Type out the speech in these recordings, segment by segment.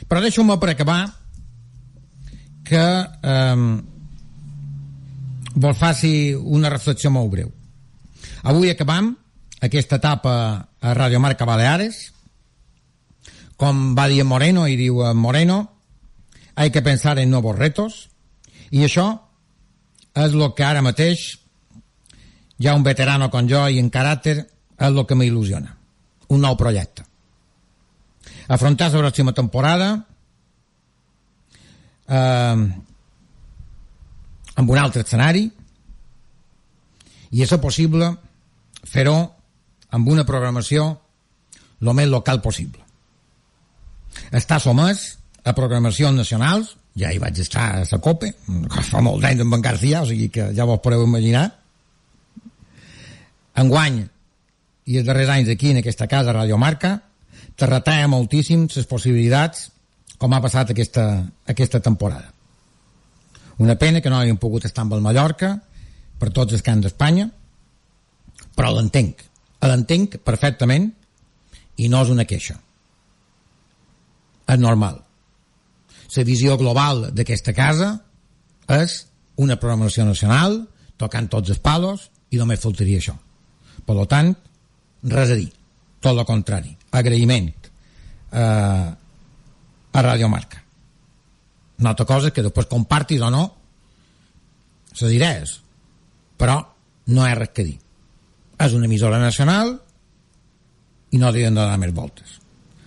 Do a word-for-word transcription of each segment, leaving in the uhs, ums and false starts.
Però deixeu-me per acabar que eh, vos faci una reflexió molt breu. Avui acabam aquesta etapa a Radio Marca Baleares. Com va dir Moreno, i diu Moreno, hay que pensar en nuevos retos, i això és el que ara mateix ja un veterano com jo i en caràcter és el que m'il·lusiona. Un nou projecte. Afrontar la pròxima temporada eh, amb un altre escenari, i és possible fer-ho amb una programació el més local possible. Està sotmès a programacions nacionals, ja hi vaig estar a la COPE, fa molt d'anys amb en García, o sigui que ja vos podeu imaginar. Enguany, i els darrers anys aquí en aquesta casa, Radio Marca, te retalla moltíssim les possibilitats com ha passat aquesta, aquesta temporada. Una pena que no hàgim pogut estar amb el Mallorca per tots els camps d'Espanya, però l'entenc, l'entenc perfectament, i no és una queixa. És normal. La visió global d'aquesta casa és una programació nacional, tocant tots els palos, i només faltaria això. Per tant, res a dir, tot el contrari, agraïment eh, a Radio Marca. Una altra cosa que després compartis o no les idees, però no hi ha res que dir. És una emissora nacional i no hauríem de donar més voltes.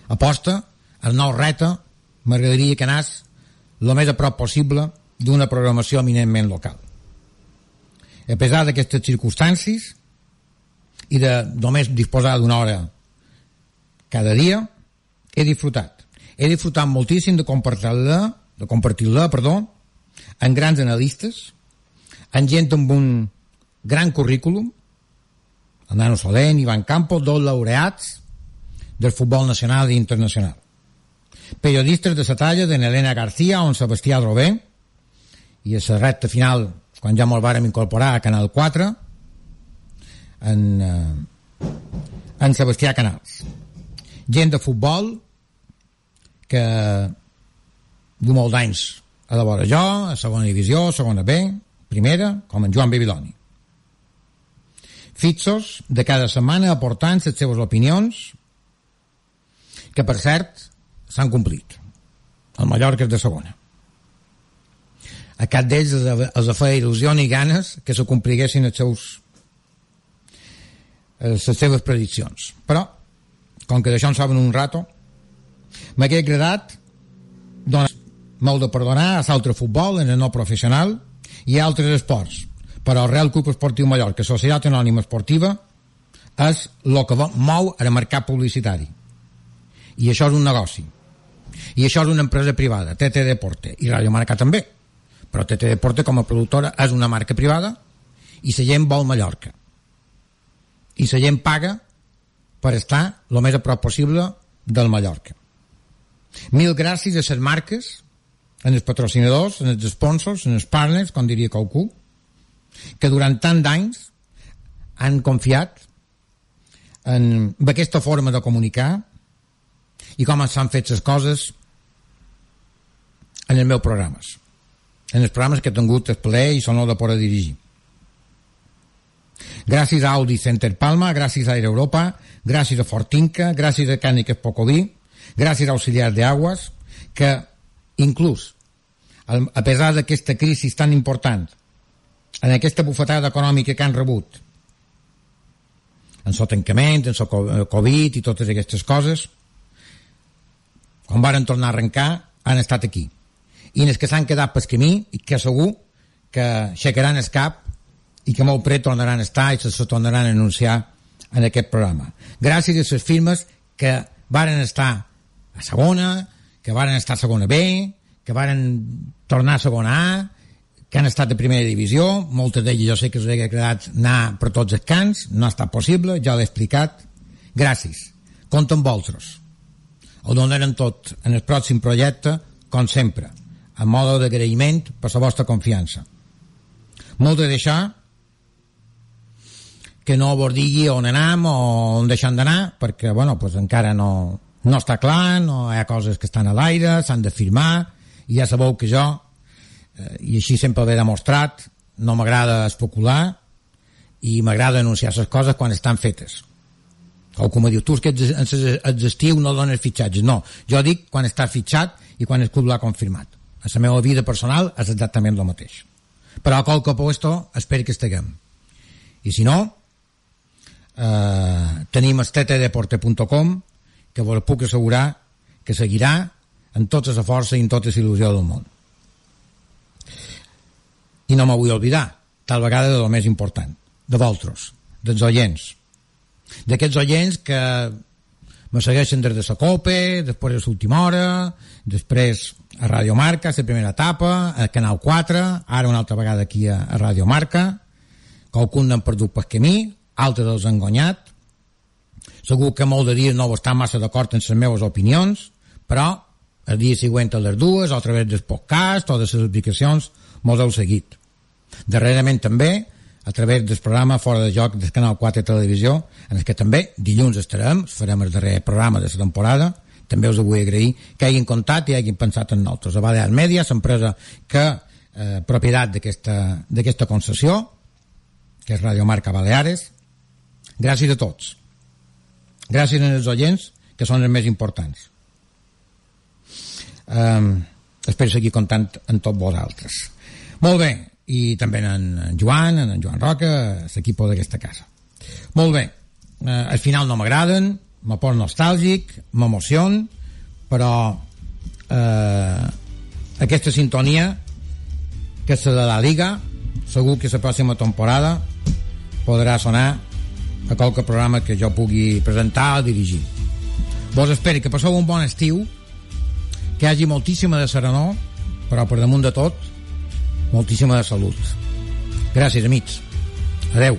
Aposta, el nou reta, m'agradaria que anés el més a prop possible d'una programació eminentment local. A pesar d'aquestes circumstàncies i de només disposar d'una hora cada dia, he disfrutat. He disfrutat moltíssim de compartir-la, de compartir-la, perdó, amb grans analistes, amb gent amb un gran currículum, el Nano Solent, Ivan Campos, dos laureats del futbol nacional i internacional. Periodistes de la talla de Helena García o en Sebastià Drové, i a la recta final, quan ja me'l vàrem incorporar a Canal quatre, en, eh, en Sebastià Canals. Gent de futbol que du molt d'anys a la vora jo, a segona divisió, a segona B, primera, com en Joan Babiloni. Fixos de cada setmana aportant les seves opinions, que per cert s'han complit. El Mallorca és de segona. A cap d'ells els feia il·lusió ni ganes que se compliguessin els seus les seves prediccions. Però, com que d'això en saben un rato, m'hauria agradat doncs, molt de perdonar a l'altre futbol, en el no professional, i a altres esports. Però el Real Club Esportiu Mallorca, Societat Anònima Esportiva, és el que mou el mercat publicitari. I això és un negoci. I això és una empresa privada, T T Deporte, i Radio Marca també. Però T T Deporte, com a productora, és una marca privada i la gent vol Mallorca. I la gent paga per estar el més a prop possible del Mallorca. Mil gràcies a les marques, en els patrocinadors, en els sponsors, en els partners, com diria qualcú, que durant tant d'anys han confiat en aquesta forma de comunicar i com s'han fet les coses en els meus programes, en els programes que he tingut el plaer i l'honor de poder dirigir. Gràcies a Audi Center Palma, gràcies a Air Europa, gràcies a Fortinca, gràcies a Càniques Pocoví, gràcies a Auxiliars de Aguas, que inclús a pesar d'aquesta crisi tan important, en aquesta bufetada econòmica que han rebut, en el tancament, en el Covid i totes aquestes coses, quan varen tornar a arrencar, han estat aquí. I els que s'han quedat pel camí, i que segur que aixecaran el cap i que molt pret tornaran a estar i se tornaran a anunciar en aquest programa. Gràcies a les firmes que varen estar a segona, que varen estar a segona B, que varen tornar a segona A, que han estat a primera divisió, moltes d'elles jo sé que us hauria agradat anar per tots els camps, no ha estat possible, ja l'he explicat. Gràcies. Compte amb vosaltres. Ho donarem tot en el pròxim projecte, com sempre, en mode d'agraïment per la vostra confiança. Molt de deixar que no vos digui on anem o on deixem d'anar, perquè, bueno, pues encara no, no està clar, no hi ha coses que estan a l'aire, s'han de firmar, i ja sabeu que jo, eh, i així sempre l'he demostrat, no m'agrada especular i m'agrada anunciar les coses quan estan fetes. O com diu, tu és que ets estiu no dones fitxatges. No, jo dic quan està fitxat i quan el club l'ha confirmat. A la meva vida personal és exactament el mateix. Però a qualque puesto espero que estiguem. I si no, eh, tenim el t t deporte punt com, que vos puc assegurar que seguirà amb tota la força i amb tota la il·lusió del món. I no me vull oblidar, tal vegada de lo més important, de vosaltres, dels oients, d'aquests oients que me segueixen des de la COPE, després de l'última hora, després a Radio Marca, la primera etapa, a Canal quatre, ara una altra vegada aquí a, a Radio Marca, qualcun n'han perdut per camí, altres els han guanyat. Segur que molt de dies no estan massa d'acord amb les meves opinions, però el dia següent a les dues, o a través del podcast o de les aplicacions, mos heu seguit. Darrerament també, a través del programa Fora de Joc del Canal quatre Televisió, en el que també dilluns estarem, farem el darrer programa de la temporada. També us vull agrair que hagin comptat i hagin pensat en nosaltres. A Balear Media, l'empresa que eh, propietat d'aquesta concessió, que és Radio Marca Baleares. Gràcies a tots. Gràcies als oients, que són els més importants. Um, espero seguir comptant amb tots vosaltres. Molt bé, i també en Joan, en Joan Roca, l'equip d'aquesta casa. Molt bé, uh, al final no m'agraden, me poso nostàlgic, m'emocion, però uh, aquesta sintonia, que és la de la Liga, segur que la pròxima temporada podrà sonar a qualque programa que jo pugui presentar o dirigir. Vos espero que passeu un bon estiu, que hi hagi moltíssima de serenor, però per damunt de tot moltíssima de salut. Gràcies, amics. Adeu.